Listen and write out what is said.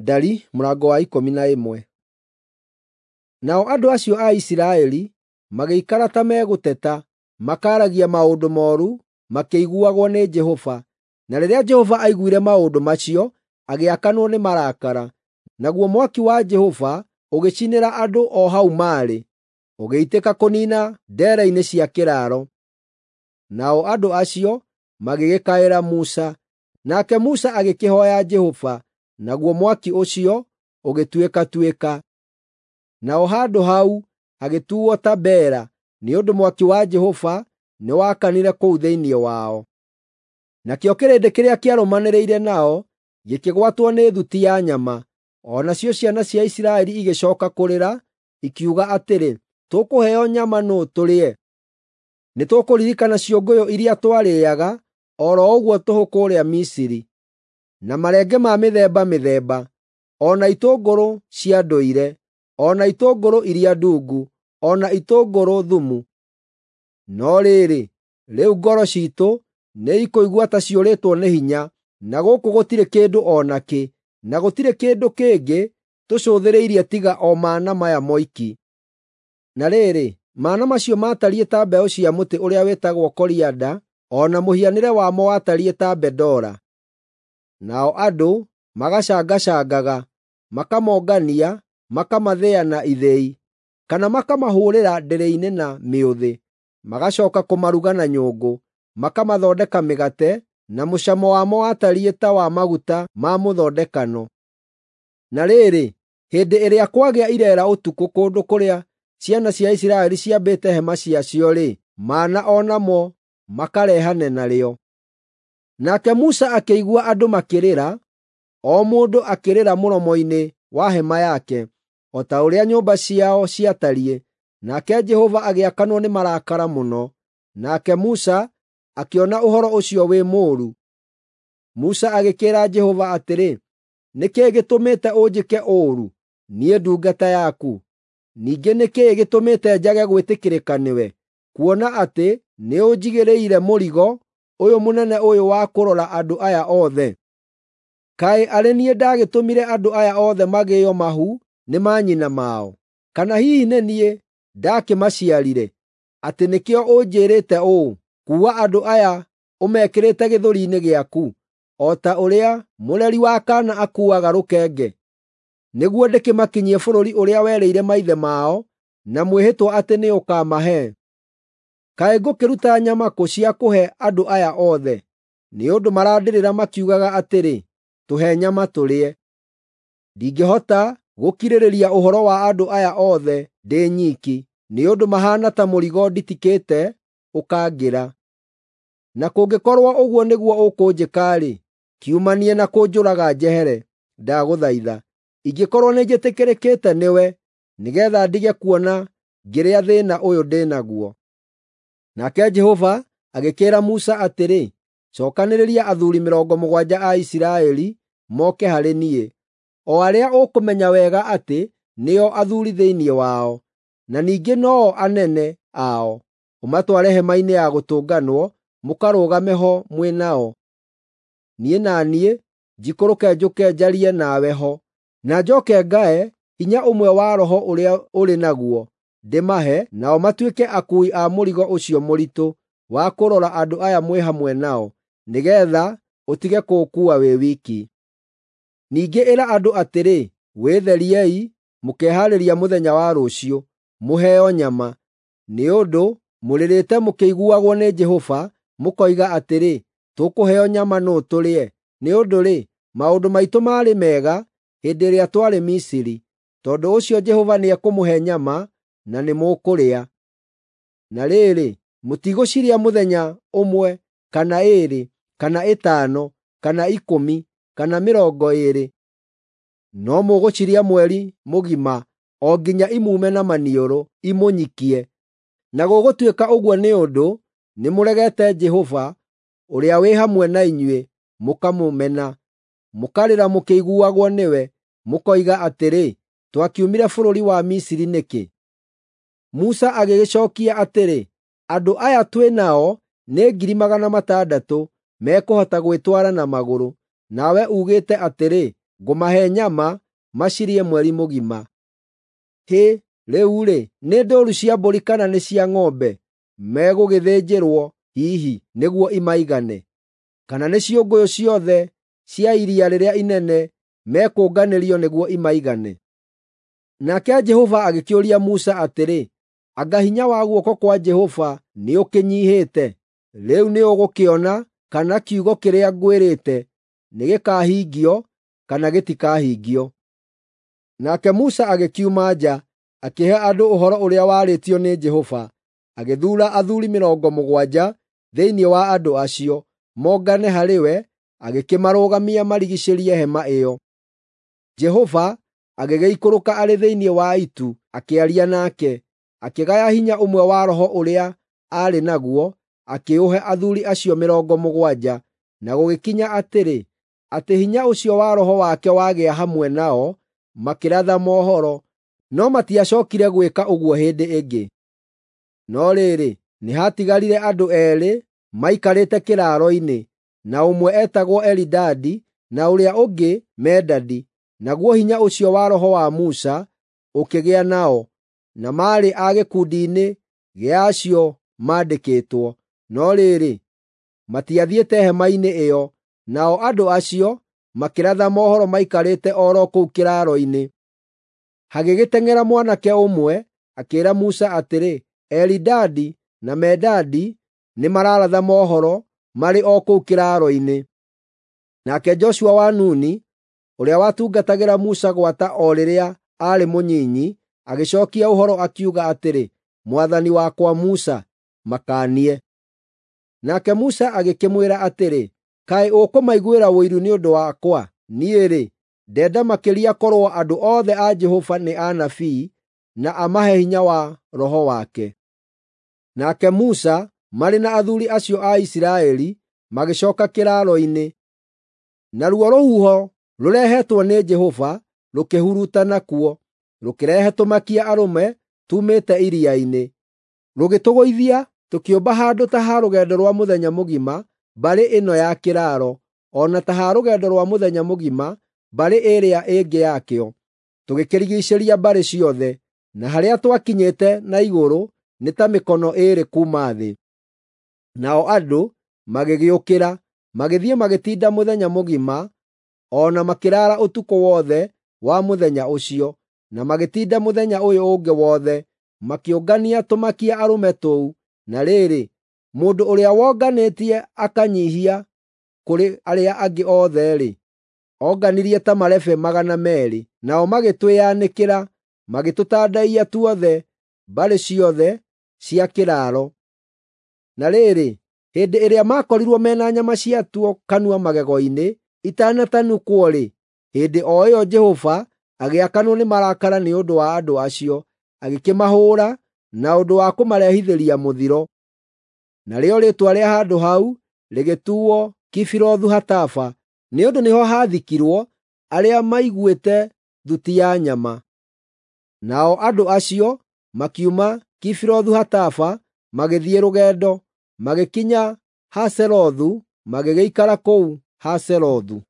Ndari mũrango wa 11. Nao andũ acio a Isiraeli magĩikara ta megũteta, makaaragia maũndũ mooru makĩiguagwo nĩ Jehova. Na rĩrĩa Jehova aiguire maũndũ macio, agĩakanwo nĩ marakara. Naguo mwaki wa Jehova ũgĩcinĩra andũ o hau maarĩ, ũgĩitĩka kũniina ndeere-inĩ cia kĩraaro. Nao andũ acio magĩgĩkaĩra Musa, nake Musa agĩkĩhooya Jehova, naguo mwaki ũcio ũgĩtuĩkatuĩka. Naho handũ hau hagĩtuuo Tabera, nĩ ũndũ mwaki wa Jehova nĩwakanire kũu thĩinĩ wao. Nakĩo kĩrĩndĩ kĩrĩa kĩarũmanĩrĩire nao gĩkĩgwatwo nĩ thuti ya nyama, o nacio ciana cia Isiraeli igĩcooka kũrĩra, ikiuga atĩrĩ, “Tũkũheo nyama nũũ tũrĩe? Nĩtũkũririkana ciũngũyũ iria twarĩĩaga o ro ũguo tũhũ kũrĩa Misiri, na marenge ma mĩthemba mĩthemba, o na itũngũrũ cia ndũire, o na itũngũrũ iria ndungu, o na itũngũrũ thumu. No rĩrĩ, rĩu ngoro ciitũ nĩikũigua ta ciũrĩtwo nĩ hinya, na gũkũ gũtirĩ kĩndũ o nakĩ, na gũtirĩ kĩndũ kĩngĩ tũcũthĩrĩirie tiga o mana maya moiki.” Na rĩrĩ, mana macio maatariĩ ta mbeũ cia mũtĩ ũrĩa wĩtagwo korianda, o na mũhianĩre wamo watariĩ ta bendora. Nao andũ magacangacangaga, makamongania, makamathĩa na ithĩi, kana makamahũũrĩra ndĩrĩ-inĩ na mĩũthĩ, magacooka kũmaruga na nyũngũ, makamathondeka mĩgate, na mũcamo wamo watariĩ ta wa maguta ma mũthondekano. Na rĩrĩ, hĩndĩ ĩrĩa kwagĩa ireera ũtukũ kũndũ kũrĩa ciana cia Isiraeli ciambĩte hema ciacio-rĩ, mana o namo makarehane narĩo. Nake Musa akĩigua andũ makĩrĩra, o mũndũ akĩrĩra mũromo-inĩ wa hema yake, o ta ũrĩa nyũmba ciao ciatariĩ. Nake Jehova agĩakanwo nĩ marakara mũno, nake Musa akĩona ũhoro ũcio wĩ mũũru. Musa agĩkĩĩra Jehova atĩrĩ, “Nĩ kĩĩ gĩtũmĩte ũnjĩke ũũru, niĩ ndungata yaku? Ningĩ nĩ kĩĩ gĩtũmĩte njage gwĩtĩkĩrĩka nĩwe, kuona atĩ nĩũnjigĩrĩire mũrigo ũyũ mũnene ũyũ wa kũrora andũ aya othe? Kaĩ arĩ niĩ ndagĩtũmire andũ aya othe magĩĩo mahu nĩ manyina mao? Kana hihi nĩ niĩ ndakĩmaciarire, atĩ nĩkĩo ũnjĩĩrĩte ũũ, ‘Kuua andũ aya ũmekĩrĩte gĩthũri-inĩ gĩaku, o ta ũrĩa mũreri wa kaana akuuaga rũkenge, nĩguo ndĩkĩmakinyie bũrũri ũrĩa werĩire maithe mao na mwĩhĩtwa atĩ nĩũkamahe?’ Kaĩ ngũkĩruta nyama kũ cia kũhe andũ aya othe? Nĩ ũndũ marandĩrĩra makiugaga atĩrĩ, ‘Tũhe nyama tũrĩe!’ Ndingĩhota gũkirĩrĩria ũhoro wa andũ aya othe ndĩ nyiki, nĩ ũndũ mahaana ta mũrigo nditikĩte ũkangĩra. Na kũngĩkorwo ũguo nĩguo ũkũnjĩka-rĩ, kiumanie na kũnjũraga njehere, ndagũthaitha, ingĩkorwo nĩnjĩtĩkĩrĩkĩte nĩwe, nĩgeetha ndige kuona ngĩrĩa thĩĩna ũyũ ndĩ naguo.” Nake Jehova agĩkĩĩra Musa atĩrĩ, “Cookanĩrĩria athuuri 70 a Isiraeli moke harĩ niĩ, o arĩa ũkũmenya wega atĩ nĩo athuuri thĩinĩ wao, na ningĩ no-o anene ao. Ũmatware hema-inĩ ya gũtũnganwo mũkarũgame ho mwĩ nao. Niĩ na niĩ njikũrũke njũke njarie nawe ho, na njooke ngae hinya ũmwe wa Roho ũrĩa ũrĩ naguo ndĩmahe, nao matuĩke akuui a mũrigo ũcio mũritũ wa kũrora andũ aya mwĩ hamwe nao, nĩgeetha ũtige kũũkuua wĩ wiki. Ningĩ ĩra andũ atĩrĩ, ‘Wĩtheriei mũkehaarĩria mũthenya wa rũciũ, mũheo nyama. Nĩ ũndũ mũrĩrĩte mũkĩiguagwo nĩ Jehova, mũkoiga atĩrĩ, ‘Tũkũheo nyama nũũ tũrĩe? Nĩ ũndũ-rĩ, maũndũ maitũ maarĩ mega hĩndĩ ĩrĩa twarĩ Misiri.’ Tondũ ũcio Jehova nĩekũmũhe nyama, na nĩmũkũrĩa. Na rĩrĩ, mũtigũcirĩa mũthenya ũmwe, kana ĩĩrĩ, kana 5, kana 10, kana 20, no mũgũcirĩa mweri mũgima, o nginya imuume na maniũrũ, imũnyikie. Na gũgũtuĩka ũguo nĩ ũndũ nĩmũregete Jehova, ũrĩa wĩ hamwe na inyuĩ, mũkamũmena, mũkarĩra mũkĩiguagwo nĩwe, mũkoiga atĩrĩ, ‘Twakiumire bũrũri wa Misiri nĩkĩ?’ ” Musa agĩgĩcookia atĩrĩ, “Andũ aya twĩ nao nĩ 600,000 mekũhota gwĩtwara na magũrũ, nawe uugĩte atĩrĩ, Ngũmahe nyama macirĩe mweri mũgima. Hĩ, rĩu-rĩ, nĩ ndũũru cia mbũri kana nĩ cia ng'ombe megũgĩthĩnjĩrwo hihi nĩguo imaigane? Kana nĩ ciũngũyũ ciothe cia iria rĩrĩa inene mekũnganĩrio nĩguo imaigane?" Nake Jehova agĩkĩũria Musa atĩrĩ, “Anga hinya wa guoko kwa Jehova nĩũkĩnyiihĩte? Rĩu nĩũgũkĩona kana kiugo kĩrĩa ngwĩrĩte nĩgĩkahingio kana gĩtikahingio.” Nake Musa agĩkiuma nja, akĩhe andũ ũhoro ũrĩa warĩtio nĩ Jehova. Agĩthuura athuuri 70 thĩinĩ wa andũ acio mongane harĩ we, agĩkĩmarũgamia marigiicĩrie hema ĩyo. Jehova agĩgĩikũrũka arĩ thĩinĩ wa itu akĩaria nake, akĩgaya hinya ũmwe wa roho ũrĩa aarĩ naguo, akĩũhe athuuri acio 70. Na gũgĩkinya atĩrĩ, atĩ hinya ũcio wa roho wake wagĩa hamwe nao, makĩratha mohoro, no matiacookire gwĩka ũguo hĩndĩ ĩngĩ. No rĩrĩ, nĩhatigarire andũ eerĩ maikarĩte kĩraaro-inĩ, na ũmwe eetagwo Elidadi na ũrĩa ũngĩ Medadi. Naguo hinya ũcio wa roho wa Musa ũkĩgĩa nao, na maarĩ a gĩkundi-inĩ gĩa acio maandĩkĩtwo. No rĩrĩ, matiathiĩte hema-inĩ ĩyo, nao andũ acio makĩratha mohoro maikarĩte o ro kũu kĩraaro-inĩ. Hagĩgĩteng'era mwanake ũmwe, akĩĩra Musa atĩrĩ, “Elidadi na Medadi nĩmararatha mohoro marĩ o kũu kĩraaro-inĩ.” Nake Joshua wa Nuni, ũrĩa watungatagĩra Musa gwata o rĩrĩa aarĩ mũnyinyi, agĩcookia ũhoro akiuga atĩrĩ, “Mwathani wakwa Musa, makaanie.” Nake Musa agĩkĩmwĩra atĩrĩ, “Kaĩ ũkũmaiguĩra ũiru nĩ ũndũ wakwa? Niĩ-rĩ, ndenda makĩria korwo andũ othe a Jehova nĩ anabii na amahe hinya wa roho wake.” Nake Musa marĩ na athuuri acio a Isiraeli magĩcooka kĩraaro-inĩ. Naruo rũhuho rũrehetwo nĩ Jehova rũkĩhurutana kuo, rũkĩrehe tũmakia arũme tuumĩte iria-inĩ. Rũgĩtũgũithia tũkĩũmba handũ ta ha rũgendo rwa mũthenya mũgima mbarĩ ĩno ya kĩraaro, o na ta ha rũgendo rwa mũthenya mũgima mbarĩ ĩrĩa ĩngĩ yakĩo, tũgĩkĩrigiicĩria mbarĩ ciothe, na harĩa twakinyĩte na igũrũ nĩ ta mĩkono ĩĩrĩ kuuma thĩ. Nao andũ magĩgĩũkĩra, magĩthiĩ magĩtinda mũthenya mũgima, o na makĩraara ũtukũ wothe wa mũthenya ũcio, na magĩtinda mũthenya ũyũ ũngĩ wothe, makĩũngania tũmakia arũme tũu. Na rĩrĩ, mũndũ ũrĩa wonganĩtie akanyiihia kũrĩ arĩa angĩ othe-rĩ, onganirie ta marebe 200. Nao magĩtwĩyanĩkĩra, magĩtũtandaiya tuothe mbarĩ ciothe cia kĩraaro. Na rĩrĩ, hĩndĩ ĩrĩa maakorirwo mena nyama ciatuo kanua magego-inĩ itanatanukwo-rĩ, hĩndĩ o ĩyo Jehova agĩakanwo nĩ marakara nĩ ũndũ wa andũ acio, agĩkĩmahũũra na ũndũ wa kũmarehithĩria mũthiro. Narĩo rĩĩtwa rĩa handũ hau rĩgĩtuuo Kibirothu-Hataava, nĩ ũndũ nĩho haathikirwo arĩa maiguĩte thuti ya nyama. Nao andũ acio makiuma Kibirothu-Hataava magĩthiĩ rũgendo, magĩkinya Haserothu, magĩgĩikara kũu Haserothu.